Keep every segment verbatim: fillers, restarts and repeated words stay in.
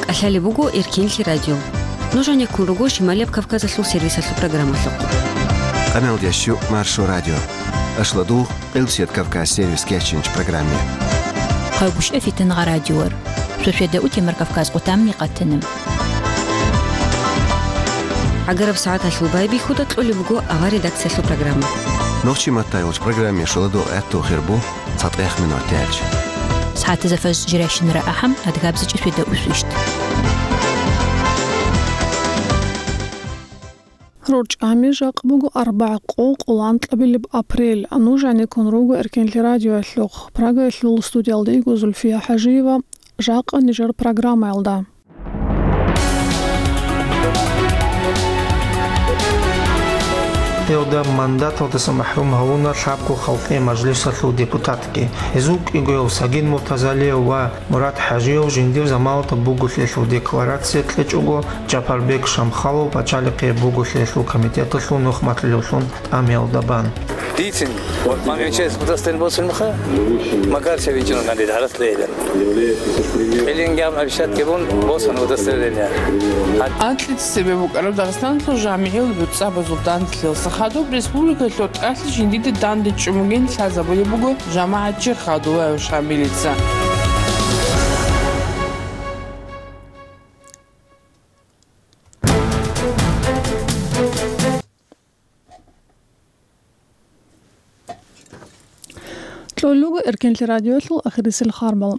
Алъалеб буго Эркенлъи радио. Нуж гьанеккун руго Шималияб Кавказалъул сервисалъул программалъухъ. Къаналдящу Маршо радио. Ашладугъ Къилбсият Кавказ сервис кечинч программе. Хъайгуща фитангъа радиор. Сосведа утемар Кавказ къутамни къатана. ГӀагараб сагӀаталъул байбихьуда кьолеб буго авар редакциялъул программа. Нохчи матайулч программе шоладо гӀатту хирбу. ЦатӀех минуталъ. СагӀатазда фажр жирайщинара ахӀам, адгабзичӀи светда усвищт. РорчӀами жакъ буго арбагӀ къо къолан кьабилеб апрель. Нуж гьанеккун руго Эркенлъи радиоялъухъ. Прагаялъул студиялда йиго Зульфия ХӀажиева. Жакъа нижер программаялда. Гьелда мандаталдаса махӀрум гьавуна лъабго халкъи мажлисалъул депутатги. Гьезул кӀиго Сагид Муртазалиев ва Мурат ХӀажиев жиндир заманалда буголъиялъул декларация кьечӀого, Жапарбек Шамхалов пачалихъе буголъиялъул комитеталъул нухмалъулевлъун тӀамиялда бан. Дицин, вот мамин чес удостоверение босун меха, Макарчев вичун гандид, гьарас лейден. Элингам обещать кебун босун удостоверение. Анкьица цебе букӀараб Дагъистаналъул жамигӀил буцӀцӀабазул данделъиялъа хадуб республикалъул тӀалъи жиндиде дандечӀун бугин лъазабулеб буго жамагӀатчи Хадулаев Шамилица. Кьолеб буго Эркенлъи радиоялъул ахирисел харбал.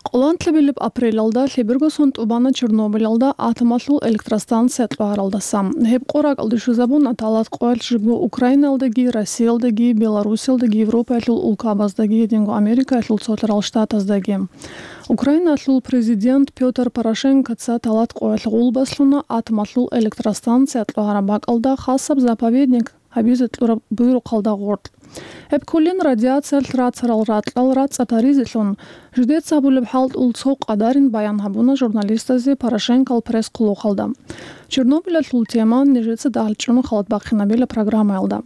Къолан кьабилеб апрелалда лъеберго сон тӀубана Чернобылалда атомалъул электростанция кьвагьаралдаса. Гьеб къо ракӀалде щвезабуна талат къоялъ жибго Украинаялдаги, Россиялдаги, Беларусиялдаги, Европаялъул улкабаздаги, гьединго Америкаялъул Цолъарал Штатаздаги. Украиналъул президент Пётр Порошенкоца талат къоялъ гъулбас лъуна атомалъул электростанция кьвагьараб бакӀалда хасаб заповедник гьабизе кьураб буйрухъалда гъоркь. Гьеб кколин радиациялъ рацарал ракьал рацӀцӀад гьаризелъун, жидеца гьабулеб хӀалтӀул цо къадарин баян гьабуна журналистазе Порошенкол пресс-хъулухъалда. Чернобылалъул тема нижеца дагьал чӀун халат бахъинабила программаялда.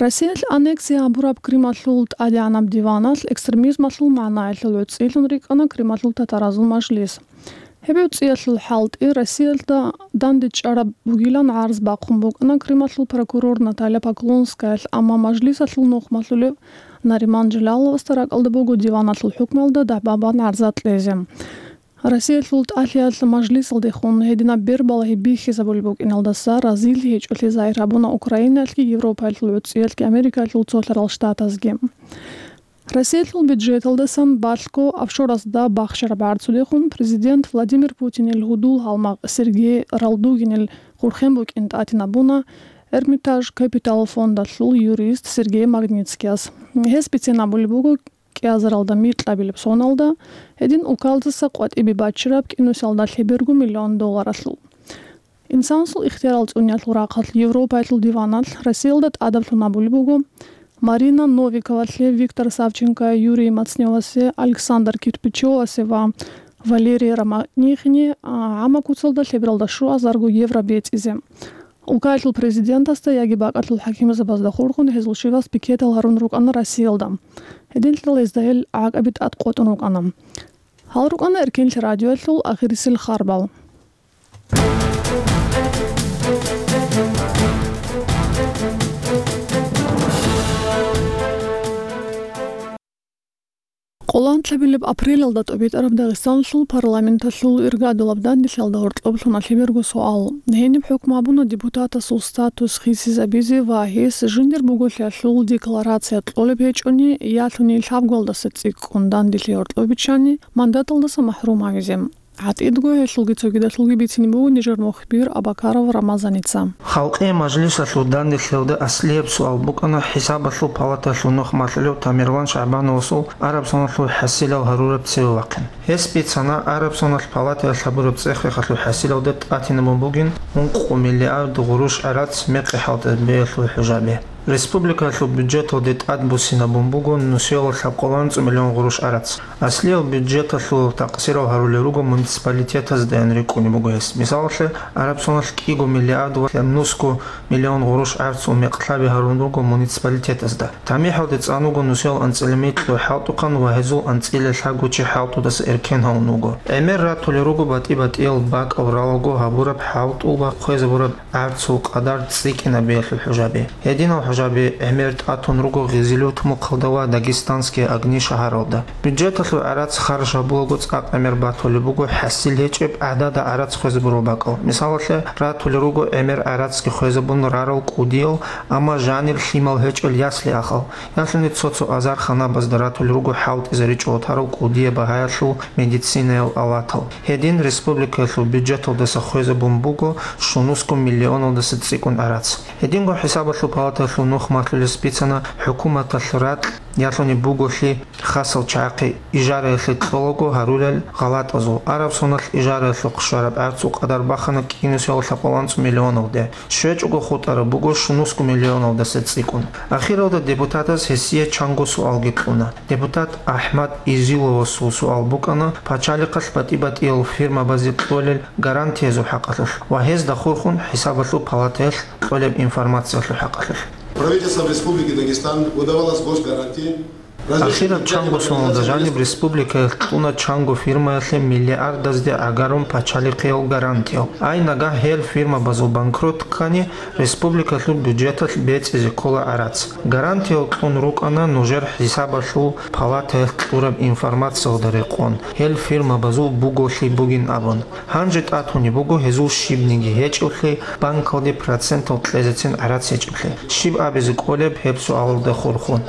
Россиялъ аннексия гьабураб Крымалъул тӀадегӀанаб диваналъ экстремизмалъул магӀнаялъул гӀуцӀилъун рикӀкӀана Крымалъул татаразул мажлис. Гьеб гӀуцӀиялъул хӀалтӀи Россиялда дандечӀараб бугилан гӀарз бахъун букӀана Крымалъул прокурор Наталья Поклонскаялъ, амма мажлисалъул нухмалъулев Нариман Джеляловасда ракӀалда буго диваналъул хӀукмуялда дагӀба бан гӀарза кьезе. Россиялъул тӀалъиялъ мажлисалдехун гьединаб бербалагьи бихьизабулеб букӀиналдаса разилъи гьечӀолъи загьир гьабуна Украинаялъги, Европаялъул гӀуцӀиялъги, Америкаялъул Цолъарал Штатазги. Россиялъул бюджеталдасан балъго офшорасда бахчараб гӀарцудехун президент Владимир Путинил гьудул гьалмагъ Сергей Ралдугинил хурхен букӀин тӀатинабуна Эрмитаж Капитал фондалъул юрист Сергей Магнитскияс. Гьес бицен абулеб буго кӀиазаралда микьабилеб соналда, гьедин улкалдаса къватӀибе баччараб кӀинусиялда лъеберго миллион долларалъул. Инсанасул ихтиярал цӀуниялъул рахъалъ Европаялъул диваналъ Россиялда тӀадаблъун абулеб буго Марина Новиковалъе, Виктор Савченко, Юрий Мацневасе, Александр Кирпичевасе ва Валерий Романихине, а, гӀамма куцалда лъебералда щуазарго евро бецӀизе. Улкаялъул президентасда яги бакӀалъул хӀакимзабазда хурхун гьезул щивас пикетал гьарун рукӀана Россиялда. Гьединлъидал гьезда гьел гӀакъаби тӀад къотӀун рукӀана. Гьал рукӀана Эркенлъи радиоялъул ахирисел харбал. Къолан кьабилеб апрелалда тӀобитӀараб Дагъистаналъул парламенталъул иргадулаб данделъиялда гьоркьоб лъуна лъеберго суал. Гьениб хӀукму гьабуна депутатасул статус хисизабизе ва гьес жиндир буголъиялъул декларация кьолеб гьечӀони, ялъуни лъабгуялдаса цӀикӀкӀун данделъи гьоркьоб биччани, мандаталдаса махӀрум гьавизе. ГьатӀидго гьелъулги цогидалъулги бицине буго нижер мухбир Абакаров Рамазаница. Халкъи мажлисалъул данделъиялда аслияб суал букӀана ХӀисабалъул палаталъул нухмалъулев Тамерлан ШагӀбановасул араб соналъул хӀасилал гьарураб цеве вахъин. Гьес бицана араб соналъ палатаялъ гьабураб цӀех-рехалъул хӀасилалда тӀатинабун бугин ункъо миллиард гъурущ гӀарац мекъи хӀалтӀизабиялъул хӀужаби. Республикалъул бюджеталде тӀадбуссинабун буго нусиялда лъабкъоялда анцӀ миллион гъурущ гӀарац. Аслиял бюджеталъул такъсирал гьарулел руго муниципалитетаздаян рикӀкӀунеб буго гьес. Мисалалъе, Араб соналъ кӀиго миллиард ва нусго миллион гъурущ гӀарцул мекълъаби гьарун руго муниципалитетазда. ТамихӀалде цӀан вуго нусиялда анцӀила микьго хӀалтӀухъан ва гьезул анцӀила лъабгочи хӀалтӀудаса эркен гьавун вуго. ГӀемер ратулел руго батӀи-батӀиял бакӀал ралаго гьабураб хӀалтӀул ва хвезабураб гӀарцул къадар цӀикӀкӀинабиялъул хӀужаби. Гьединал хӀужаби гӀемер тӀатун руго Гъизилюрт мухъалда ва Дагестанские огни шагьаралда. Бюджеталъул гӀарац харж гьабулаго цӀакъ гӀемер батулеб буго хӀасил гьечӀеб гӀадада гӀарац хвезабурал бакӀал. Мисалалъе, ратулел руго гӀемер гӀарацги хвезабун рарал кӀудиял, амма жанир лъимал гьечӀел ясли-ахал. Ялъуни цо-цо азар ханабазда ратулел руго хӀалтӀизаричӀого тарал кӀудияб багьаялъул медицинаял аватал. Гьедин республикаялъул бюджеталдаса хвезабун буго щунусго миллионалдаса цӀикӀкӀун гӀарац. Гьединго хӀисабалъул палатаялъул нух малъулес бицана хӀукуматалъ ракь ялъуни буголъи хасал чагӀахъе ижараялъе кьолаго гьарулел гъалатӀазул. Араб соналъ ижараялъухъ щвараб гӀарцул къадар бахана кӀинусиялда лъабкъоялда анцӀ миллионалде. ЩвечӀого хутӀараб буго щунусго миллионалдаса цӀикӀкӀун. Ахиралда депутатаз гьесие чанго суалги кьуна. Депутат АхӀмад Изиловасул суал букӀана пачалихъалъ батӀи-батӀиял фирмабазе кьолел гарантиязул хӀакъалъулъ ва гьезда хурхун хӀисабалъул палатаялъ кьолеб информациялъул хӀакъалъулъ. Правительством Республики Дагестан выдавалась госгарантия. Ахираб чанго суалда жаниб республикаялъ кьуна чанго фирмаялъе миллиардазде гӀагарун пачалихъиял гарантиял. Ай нагагь гьел фирмабазул банкрот ккани, республикалъул бюджеталъ бецӀизе ккола гӀарац. Гарантиял кьун рукӀана нужер хӀисабалъул палатаялъ кьураб информациялда рекъон, гьел фирмабазул буголъи бугин абун. Гьанже тӀатунеб буго гьезул щибниги гьечӀеблъи, банкалде процентал кьезецин гӀарац гьечӀеблъи. Щиб абизе кӀолеб гьеб суалалда хурхун?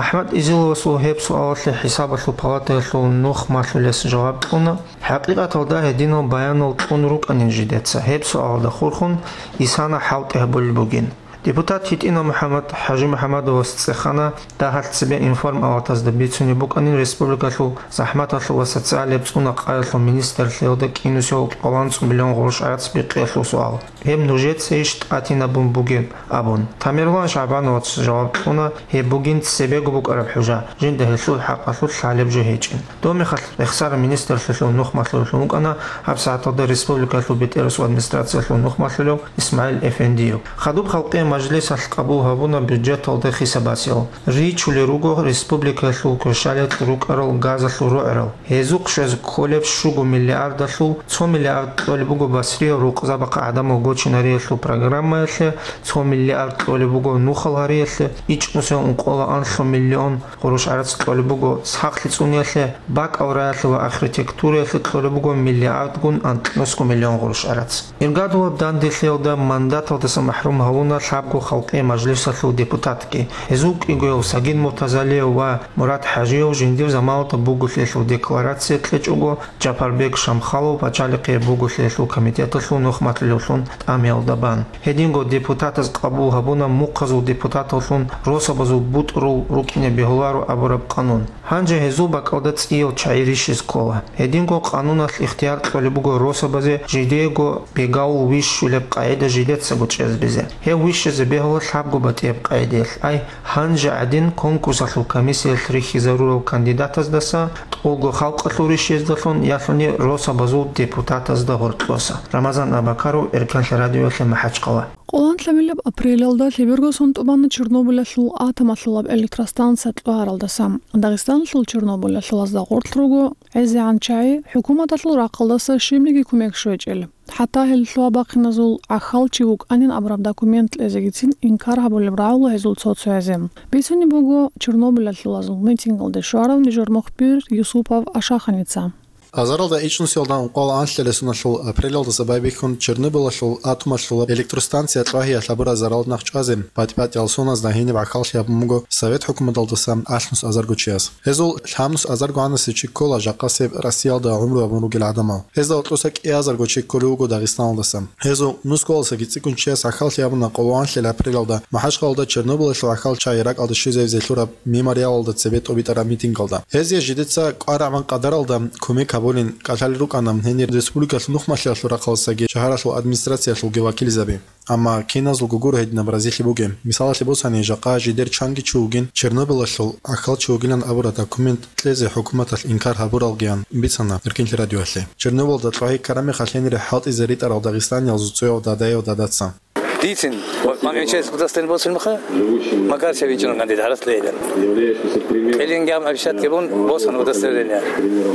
АхӀмад Изиловасул гьеб суалалъе хӀисабалъул палатаялъул нух малъулес жаваб кьуна. ХӀакъикъаталда гьединал баянал кьун рукӀанин жидеца, гьеб суалалда хурхун исана хӀалтӀи гьабулеб бугин. Депутат ГьитӀинал МухӀаммад ХӀажимухӀаммадовас цӀехана дагьалъ цебе информпалатазда бицунеб букӀанин республикалъул захӀматалъул ва социалияб цӀуна-къаялъул министрлъиялда кӀинусиялда лъабкъоялда анцӀ миллион гъурущ гӀарац бикъиялъул суал. Гьеб нужецайищ тӀатинабун бугеб? Абун. Тамерлан ШагӀбановац жаваб кьуна, гьеб бугин цебего букӀараб хӀужа, жинда гьелъул хӀакъалъулъ лъалеб жо гьечӀин. Доб мехалъ рехсараб министрлъиялъул нух малъулевлъун вукӀана гьабсагӀаталда республикалъул БетӀерасул администрациялъул нух малъулев ИсмагӀил Эфендиев. Хадуб халкъиял мажлисалъ къабул гьабуна бюджеталда хисабасел. Ричулел руго республикаялъул кверщаликь рукӀарал газалъул рогӀерал. Гьезухъ щвезе кколеб щуго миллиардалъул цо миллиард кьолеб буго Басрияб рукъзабахъа гӀадамал гочинариялъул программаялъе, цо миллиард кьолеб буго нухал гьариялъе, ичӀнусиялда ункъоялда анлъго миллион гъурущ гӀарац кьолеб буго сахлъи цӀуниялъе, бакӀал раялъе ва архитектураялъе кьолеб буго миллиардгун анкьнусго миллион гъурущ гӀарац. Иргадулаб данделъиялда мандаталдаса махӀрум гьавуна лъабго халкъиял мажлисалъул депутатги. Гьезул кӀигояв Сагид Муртазалиев ва Мурат ХӀажиев жиндир заманалда буголъиялъул декларация кьечӀого, Жапарбек Шамхалов пачалихъияб буголъиялъул комитеталъул нух малъулевлъун тӀамиялда бан. Гьединго депутатаз къабул гьабуна мухъазул депутаталлъун росабазул бутӀрул рукӀине бегьуларо абураб къанун. Гьанже гьезул бакӀалда цӀиял чагӀи рищизе ккола. Гьединго къануналъ ихтияр кьолеб буго росабазе жидеего бегавул вищулеб къагӀида жидецаго чӀезабизе. Гьев вищизе бегьула лъабго батӀияб къагӀидаялъ. Ай, гьанже гӀадин конкурсалъул комиссиялъ рихьизарурал кандидатаздаса, тӀолго халкъалъул рищездалъун, ялъуни росабазул депутатазда гьоркьоса. Рамазан Абакаров, Эркенлъи радиоялъе, МахӀачхъала. Къоланлъабилеб апрелалда лъеберго сон тӀубана Чернобылалъул атомалъулаб электростанция кьвагьаралдаса. Дагъистаналъул Чернобылалъулазда гъорлъ руго гӀезегӀан чагӀи, хӀукуматалъул рахъалдаса щибниги кумек щвечӀел. ХӀатта гьел лъугьа-бахъиназул гӀахьалчи вукӀанин абураб документ кьезегицин инкар гьабулеб рагӀула гьезул цо-цоязе. Бицунеб буго, Чернобылалъулазул митингалде щварав нижер мухбир Юсупов Ашаханица. Азаралда ичӀнусиялда ункъоялда анлъила соналъул апрелалдаса байбихьун Чернобылалъул атомалъулаб электростанция кьвагьиялъ гьабураб заралда нахъ чӀвазе, батӀи-батӀиял соназда гьениб гӀахьаллъи гьабун буго Совет хӀукуматалдаса алънус азарго чияс. Гьезул лъабнус азарго гӀанасев чи ккола жакъасеб Россиялда гӀумру гьабун ругел гӀадамал. Гьезда гьоркьоса кӀиазарго чи кколев вуго Дагъистаналдаса. Гьезул нусгоялдасаги цӀикӀкӀун чияс гӀахьаллъи гьабуна Къоло анлъила апрелалда МахӀачхъалалда Чернобылалъул гӀахьал чагӀи ракӀалде щвезавизе лъураб мемориалалда цебе тӀобитӀараб митингалда. Гьезие жидеца кӀвар-рагӀун къадаралда кумек Абулин кӀалъалел рукӀана гьенир республикалъул нухмалъиялъул рахъалдасаги шагьаралъул администрациялъулги вакилзаби. Амма киназулго гуро гьединаб разилъи бугеб. Мисалалъе босани, жакъа жидер чанги чи вугин, Чернобылалъул гӀахьал чи вугилан абураб документ кьезе хӀукуматалъ инкар гьабуралгиян бицана Эркинлъи радиоялъе. Чернобылалда лъугьа-ккараб мехалъ гьенире хӀалтӀизе ритӀарал дагъистаниязул цӀуяв дадаяв дадаца. Дицин, МагӀарчаевец удостоверение босун меха, Макарча вичӀун кандид гьарас лейилан. Кьилинги ам обещать гьабун босун удостоверение.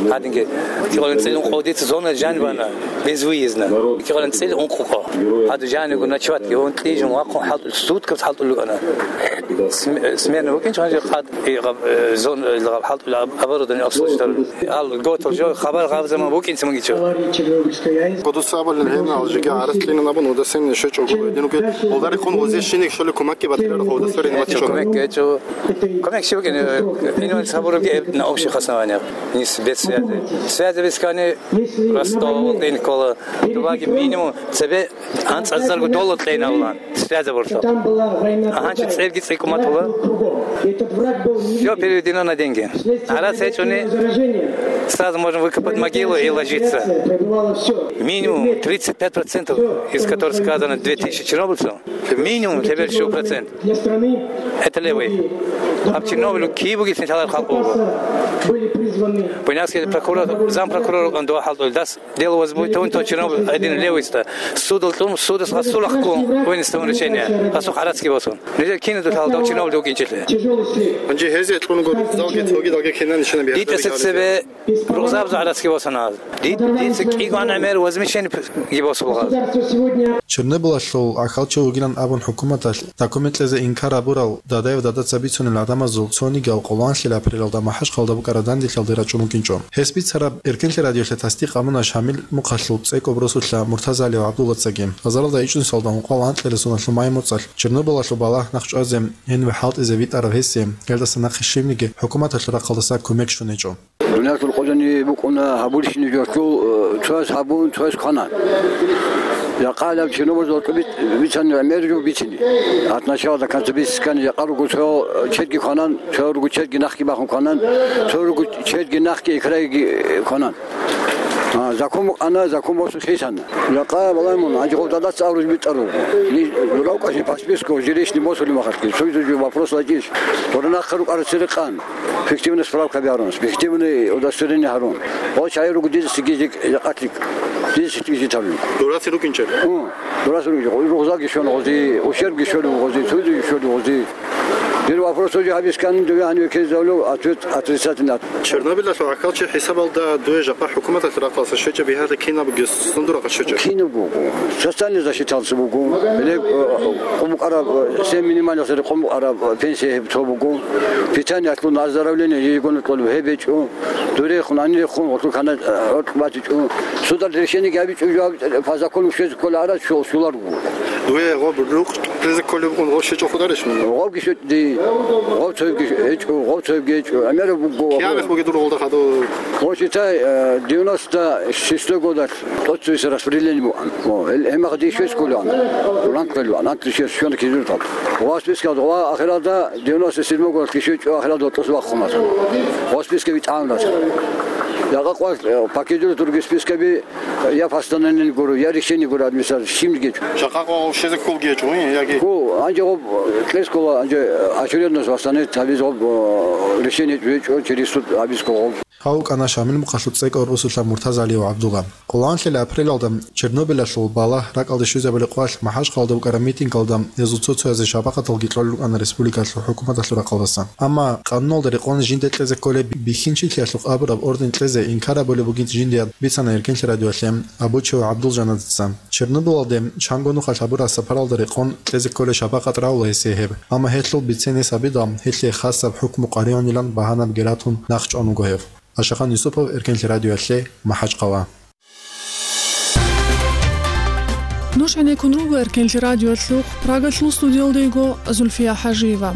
Гьадинги кигъалин цӀил ункъо дица зона жаниб ана, безвыездно. Кигъалин цӀил ункъо. Гьаду жаниго ночевать гьабун, кьижун вахъун хӀалтӀул, суткаб хӀалтӀул рукӀана. См-, смена букӀинчӀ гьанже хъад, и гъаб-, э, зон, э, гъаб хӀалтӀул аб-, оборудование обслуживать. Ал готов жо, хабар гъабзаман букӀинцаман гичо. Кодуса абулин гьенал жиги гӀарас кьинан абун удостоверение щвечӀого гьединуги, олдари хун гъозе щиниг щоле кумекги батирар удостоверение батичӀого. Кумек гьечӀо. Кумек щиб букӀин, э, инвалид гьабурабги эб на общих основаниях. Нис без связи. Связи бискани Ростов, Инкола, Туваги минимум цебе анцӀазарго доллар кьейнавлан. Связь абурлъа. Агьанчи цӀерги цӀикӀкӀуматула. Все переведено на деньги. Гьарас гьечӀони, сразу можно выкопать могилу и ложиться. Минимум тридцать пять процентов из которых сказано две тысячи чернобыльцев, минимум лъеберщу процент. Это левый. Гьаб Чернобыль киб бугеб лъалар халкъ буго. Буйнакский прокурор, зампрокурор вукӀан дуа хӀалтӀулел дас Дело возбудить, он то чиновник один левый ста. Судал тун, судас гъасул ахкун, вынести решение. Гъасул гьарацги босун. Нижер кине дул гьалда чиновник вукӀинчӀелъе. Гьанже гьезие кьунгур залги цоги далги кинан нишана бихьараб. Дитаса цебе рузабзу гьарацги босана. Дит-, дица кӀигван гӀемер возмещение п-, ги босулгъаз. Чернобылалъул гӀахьалчи вугилан абун хӀукуматалъ документ кьезе инкар гьабурал Дадаев Дадаца бицунел гӀадамазул цонигиял къоланлъила апрелалда МахӀачхъалда букӀараб дандилъалде рачӀун вукӀинчӀо. Гьес бицараб Эркенлъи радиолъе тасдикъ гьабуна Шамил мухъалъул цӀекӀоб росулъа Муртазалиев ГӀабдуллацаги. Азаралда ичӀнусалда ункъоялда анкьабилеб соналъул май моцӀалъ Чернобылалъул балагь нахчӀвазе гьениб хӀалтӀизе витӀарав гьесие, гьелдаса нахъе щибниги хӀукуматалъул рахъалдаса кумек щун гьечӀо. Дуниялъул къо жаниб букӀуна гьабурщинаб жо, э, цояс гьабун, цояс квана. Жакъа гьаб чиновникзул тӀубит бицани гӀемер жо бицине. От начала до конца бицискани, жакъа руго цо чедги кванан, цо руго чедги нахги бахун кванан, цо руго чедги нахги икрайги кванан. А, закон букӀана, закон босун хисана. Жакъа балагьун, гьанже гъов Дадаца абураб битӀараб. Ни дуравкъаси пасписко, жилищный босулеб мехалъги, цо-цо жо вопрос лачӀищ. Дора нахъа рукӀарал цере къан. Фиктивный справка гьарун, фиктивный удостоверение гьарун. Гъо чагӀи руго дидасаги жакъалъи, дидасаги житарун. Дурацин рукӀинчӀеб? Гьу, дурацин рукӀинчӀеб. Рузаги щвана гъози, ущербги щолеб гъози, цуйзаги щолеб гъози. Дир вопрос уже гьабискан, дуе гьаниве ккезавлу, ответ отрицательный. Чернобылалъул гӀахьалчи хӀисабалда дуе жакъа хӀукуматалъ рахъалъа щвечӀеб бихьарда кинаб бугес сундурахъа щвечӀеб? Кинаб буго. Социальный защиталъ буго. Гьеле, э, къумукъараб, э, семь минимальных рекъон букӀараб, э, пенсия гьеб цо буго. Питаниялъул оздоровление ежегодно кьолеб гьеб гьечӀо. Дурехун, анирехун, гъолъул хана, э, гӀоркь батичӀо. Судалъ решениеги гьабичӀо, жо гьаб-, по закону щвезе ккола гьарад, що-, щолар буго. Дуе гъоб рукъ кьезе кколеб букӀун гъов щвечӀо хударищ мун? Гъовги щвечӀо, ди, гъов цоябги гьечӀо, гъов цоябги гьечӀо. ГӀемераб буго. Киабилеб бугеб дур гъолда хадур? Гъов щитай, э, девяносто шестой годалъ тӀоцевесеб распределение букӀана. О, гьел-, гьемахъ дие щвез кколаан. Ранг кколаан, ранг дие щвез щвана кизуртал. Гъов спискалда, гъов ахиралда девяносто седьмой годалъ кишвечӀо ахиралда тӀоцеве вахъуна. Гъов списка витӀаунаса. Жакъа къвалъ, э, покидур другие спискаби, я постановление гуро, я решение гуро администрация, щибниги гьечӀо. Жакъа къвалъ щвезе кколги гьечӀо, яги? Гу, гьанже гъоб, э, кьес ккола, гьанже, э, очередность восстановить гьабиз гъоб, э, решение гьечӀо, через суд гьабиз ккола гъоб. Гьав вукӀана Шамил мухъалъул цӀекӀаб росулъа Муртазалиев ГӀабдулла. Къоланлъила апрелалда Чернобылалъул балагь ракӀалде щвезабулеб къвалъ МахӀачхъалда букӀараб митингалда гьезул цо-цоязе шапакъаталги кьолел рукӀана республикалъул хӀукуматалъул рахъалдаса. Амма къануналда рекъон жинде кьезе кколеб бихьинчилъиялъухъ абураб орден кьезе инкар гьабулеб бугин жиндияб бицана Эркенлъи радиоялъе Абучев ГӀабдулжанадеца. Чернобылалде чанго нухалъ гьабураб сапаралда рекъон кьезе кколеб шапакъат равула гьесие гьеб, амма гьелъул бицен гьес гьабидал, гьелъие хасаб хӀукму къваригӀунилан багьанаб герат тун нахчӀван вуго гьев. Ашахан Юсупов, Эркенлъи радиоялъе, МахӀачхъала. Нуж гӀенеккун руго Эркенлъи радиоялъухъ, Прагалъул студиялда йиго Зульфия ХӀажиева.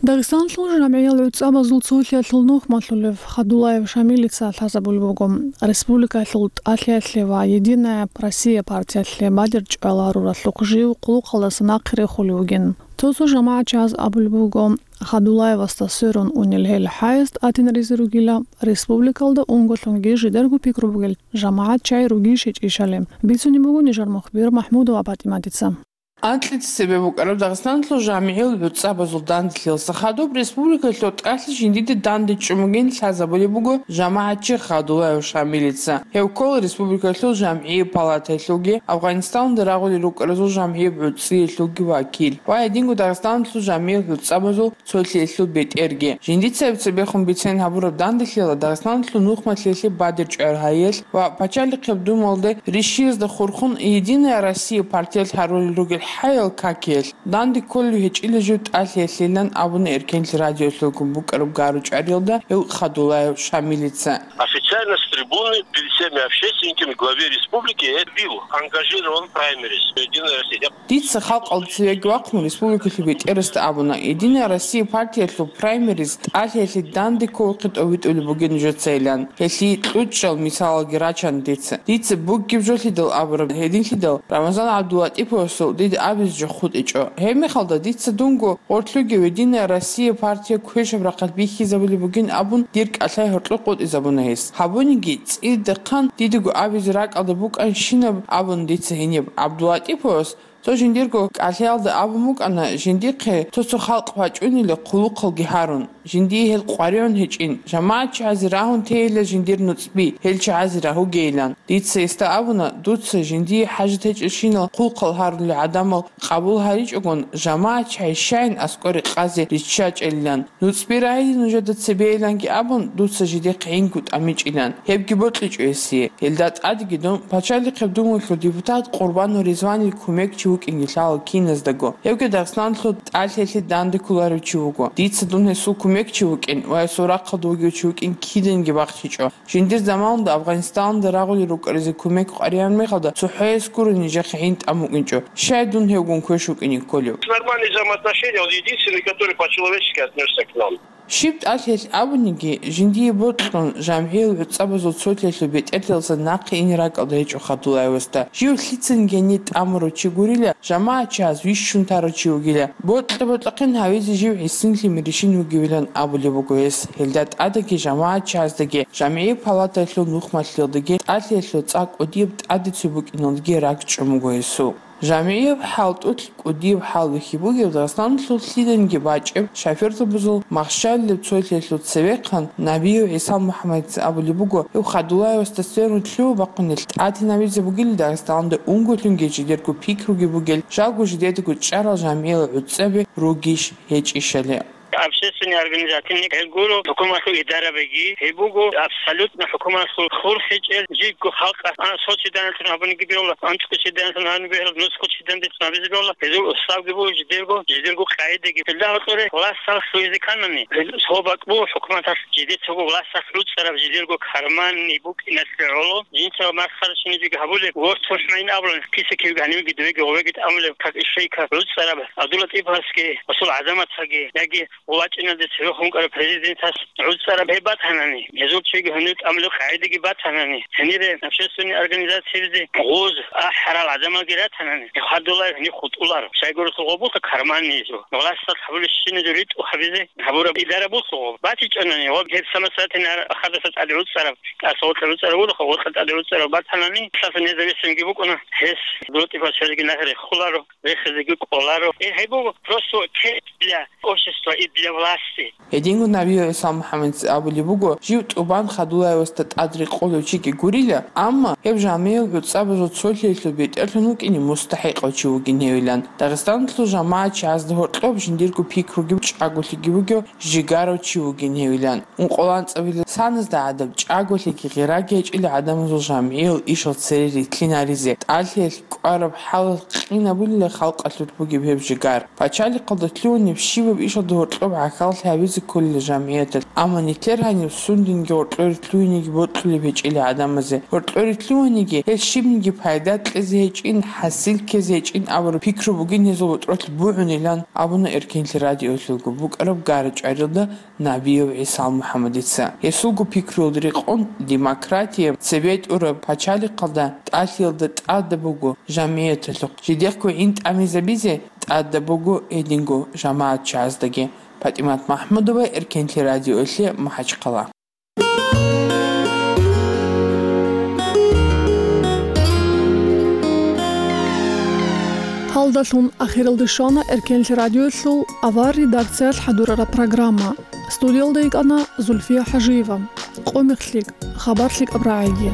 Дагъистаналъул жамгӀиял гӀуцӀабазул цолъиялъул нухмалъулев Хадулаев Шамилица лъазабулеб буго. Республикалъул тӀалъиялъе ва «Единая Россия» партиялъе бадиб чӀваларуралъухъ жив къулухъалдаса нахъе рехулев вугин. Цо-цо жамагӀатчияз абулеб буго, Хадулаевасда сверун унел гьел хӀаяс тӀатинаризе ругила, республикалда унголъунги жидерго пикру бугел жамагӀатчияй ругищ гьечӀищали, бицунеб буго нижер мухбир МахӀмудова ПатӀиматица. Анкьица цебе букӀараб Дагъистаналъул жамигӀил гӀуцӀабазул данделъиялъа хадуб республикалъул тӀалъи жиндиде дандечӀун бугин лъазабулеб буго жамагӀатчи Хадулаев Шамилица. Гьев ккола республикалъул жамгӀияб палатаялъулги, Афганистанда рагъулел рукӀаразул жамгӀияб гӀуцӀиялъулги вакил ва гьединго Дагъистаналъул жамигӀил гӀуцӀабазул цолъиялъул бетӀерги. Жиндица гьеб цебехун бицен гьабураб данделъиялда Дагъистаналъул нухмалъиялъе бадир чӀвар гьаялъ ва пачалихъеб думалде ришиязда хурхун «Единая Россия» партиялъ гьарулел ругел хӀаял какиялъ данде кколев гьечӀила жив тӀалъиялъилан абуна Эркенлъи радиоялъулгун букӀараб гару чӀвариялда гьев Хадулаев Шамилица. Официально с трибуны перед всеми общественниками главе республики я бил ангажирован праймериз «Единая Россия». Дица халкъалда цевеги вахъун республикалъул бетӀерасда абуна, «Единая Россия» партиялъул праймериз тӀалъиялъе данде кколухъе тӀовитӀулеб бугин нужецайилан. Гьелъие кьучӀал мисалалги рачана дица. Дица бугеб жолъидал абураб гьединлъидал Рамазан ГӀабдулатӀиповасул дида абизе жо хутӀичӀо. Гьеб мехалда дица дунго гъорлъуги «Единая Россия» партия квешаб рахъалъ бихьизабулеб бугин абун, дир кӀалъай гьоркьор къотӀизабуна гьес. Гьабуниги, цӀидахъан дидаго абизе ракӀалда букӀанщинаб абун дица гьениб ГӀабдулатӀиповас, цо жиндирго кӀалъаялда абун букӀана, жиндихъе цо-цо халкъ вачӀунила хъулухъалги гьарун, жиндие гьел къваригӀун гьечӀин, жамагӀатчиязе рагьун тейила жиндир нуцӀби, гьел чагӀазе рагьугейилан. Дица гьесда абуна, дуца жиндие хӀажат гьечӀелщинал хъулухъал гьарулел гӀадамал къабул гьаричӀогон, жамагӀатчияй щайин аскӀоре къазе риччачӀелилан. НуцӀби рагьизе нужеда цебейиланги абун, дуца жидехъ гӀинкӀу тӀамичӀилан. Гьебги бокьичӀо гьесие. Гьелда тӀадеги дун пачалихъеб думгулъул депутат Къурбанов Ризванил кумекчи вукӀинги лъала киназдаго. Гьевги Дагъистаналъул тӀалъиялъе данде кколарев чи вуго. Дица дун гьесул кумекчи вукӀин ва гьесул рахъалда вугев чи вукӀин киданги бахчичӀо. Жиндир заманалда Афганистанда рагъулел рукӀаразе кумек къваригӀараб мехалда цохӀояс гуро нижехъе гӀин тӀамукӀинчӀо. Щай дун гьевгун квеш вукӀине кколев? Нормальные взаимоотношения, он единственный, который по-человечески отнесся к нам. Щиб тӀалъиялъ абуниги, жиндие бокьун, жамгӀиял гӀуцӀабазул цолъиялъул бетӀерлъиялдаса нахъе ине ракӀалда гьечӀо Хадулаевасда. Жив лъицанги гьенир тӀамурав чи гурила, жамагӀатчияз вищун тарав чи вугила. Бокьа-бокьахъин гьавизе жив гӀисинлъи миришин вугевилан абулеб буго гьес. Гьелда тӀадеги жамагӀатчияздаги, жамгӀияб палатаялъул нухмалъиялдаги тӀалъиялъул цӀакъ кӀудияб тӀаде цо букӀиналдаги ракӀчӀун буго гьесул. ЖамгӀияб хӀалтӀулъ кӀудияб хӀал бихьи бугеб Дагъистаналъул лъиданиги бачӀеб шофёрзабазул махщалилеб цолъиялъул цевехъан Набиев ГӀиса МухӀаммадица абулеб буго, гьев Хадулаевасда сверун лъугьа-бахъун гьел тӀатинабизе бугила Дагъистаналда унголъунги жидерго пикруги бугел, жалго жидедаго чӀарал жамгӀиял гӀуцӀаби ругищ гьечӀищали. Общественный организацияни гьел гуро хӀукуматлъул идарабиги, гьеб буго абсолютно хӀукуматлъул хур гьечӀел, жидго халкъалъ, а, сочиданлъун гьабуниги бегьула, анцӀго чиданлъун гьабуниги бегьула, нусго чидандилъун гьабизе бегьула, гьезул устав буго жидерго, жидерго къагӀидаги. Гьелда гьоркьоре власталъ лъугьизе кканани, гьел цо бакӀ буго хӀукуматалъ жидецаго власталъ гӀуцӀараб жидерго карманни букӀиналъе гӀоло, жинца масхарачи жиги гьабулеб, ворт хӀухӀмайин абулан, киса кивги гьанивги дувеги гъовеги тӀамулеб, как ишейка гӀуцӀараб ГӀабдулатӀиповасги, гьесул гӀазаматалги, яги ВачӀиналде цевехун вукӀарав президентас гӀуцӀараб гьеб батанани, гьезул чиги гьунив тӀамулеб къагӀидаги батанани, гьенире общественный организациябизе гъоз ахӀарал гӀадамалги ратанани, гьев хадула гьенив хутӀуларо. Щайгурелъул гъоб буго карманнизул, власталъ гьабулебщиназул ритӀухъ гьабизе гьабураб идара буго гъоб. БатичӀонани гъоб гьеб самосознательный ахадаса тӀаде гӀуцӀараб, тӀаса гъоркьа гӀуцӀараб вуго, гъоркьа тӀаде гӀуцӀараб батанани, лъаса независимги букӀуна, гьес ГӀабдулатӀиповас гьезги нахъе рехуларо. Рехизеги кӀоларо. Э, гьеб буго просто тест для общества и для власти. Гьединго Набиев ГӀиса МухӀаммадица абулеб буго, жив тӀубан Хадулаевасда тӀад рекъолев чиги гурила, амма гьев жамгӀиял гӀуцӀабазул цолъиялъул бетӀерлъун вукӀине мустахӀикъав чи вугин гьевилан. Дагъистаналъул жамагӀатчиязда гьоркьоб жиндирго пикруги чӀаголъиги бугев жигарав чи вугин гьевилан. Ункъо-анцӀабилеб саназда гӀадаб чӀаголъиги гъираги гьечӀила гӀадамазул жамгӀиял ишал цере рилълъинаризе, тӀалъиялъ кӀвараб хӀалалъ къинабулила халкъалъулъ бугеб гьеб жигар. Пачалихъалда лъугьунеб щибаб ишалда гьоркьоб гӀахьаллъи гьабизе кколила жамгӀияталъ, амма нилъер гьаниб сундинги гьоркьоре лъугьинеги бокьулеб гьечӀила гӀадамазе. Гьоркьоре лъугьинеги гьел щибниги пайда кьезе гьечӀин, хӀасил ккезе гьечӀин абураб пикру бугин гьезул ботӀролъ бугӀунилан, абуна Эркенлъи радиоялъулгун букӀараб гара-чӀварилда Набиев ГӀисал МухӀаммадица. Гьесулго пикруялда рекъон, демократияб, цебетӀураб пачалихъалда тӀалъиялда тӀадаб буго жамгӀияталъухъ жидехъго гӀин тӀамизабизе, тӀадаб буго гьединго жамагӀатчагӀаздаги. ПатӀимат МахӀмудова, Эркенлъи радиоялъе, МахӀачхъала. Гьалдалъун ахиралде щвана Эркенлъи радиоялъул авар редакциялъ хӀадурараб программа. Студиялда йикӀана Зульфия ХӀажиева. Къо мехлъи, хабар лъикӀаб рагӀиги.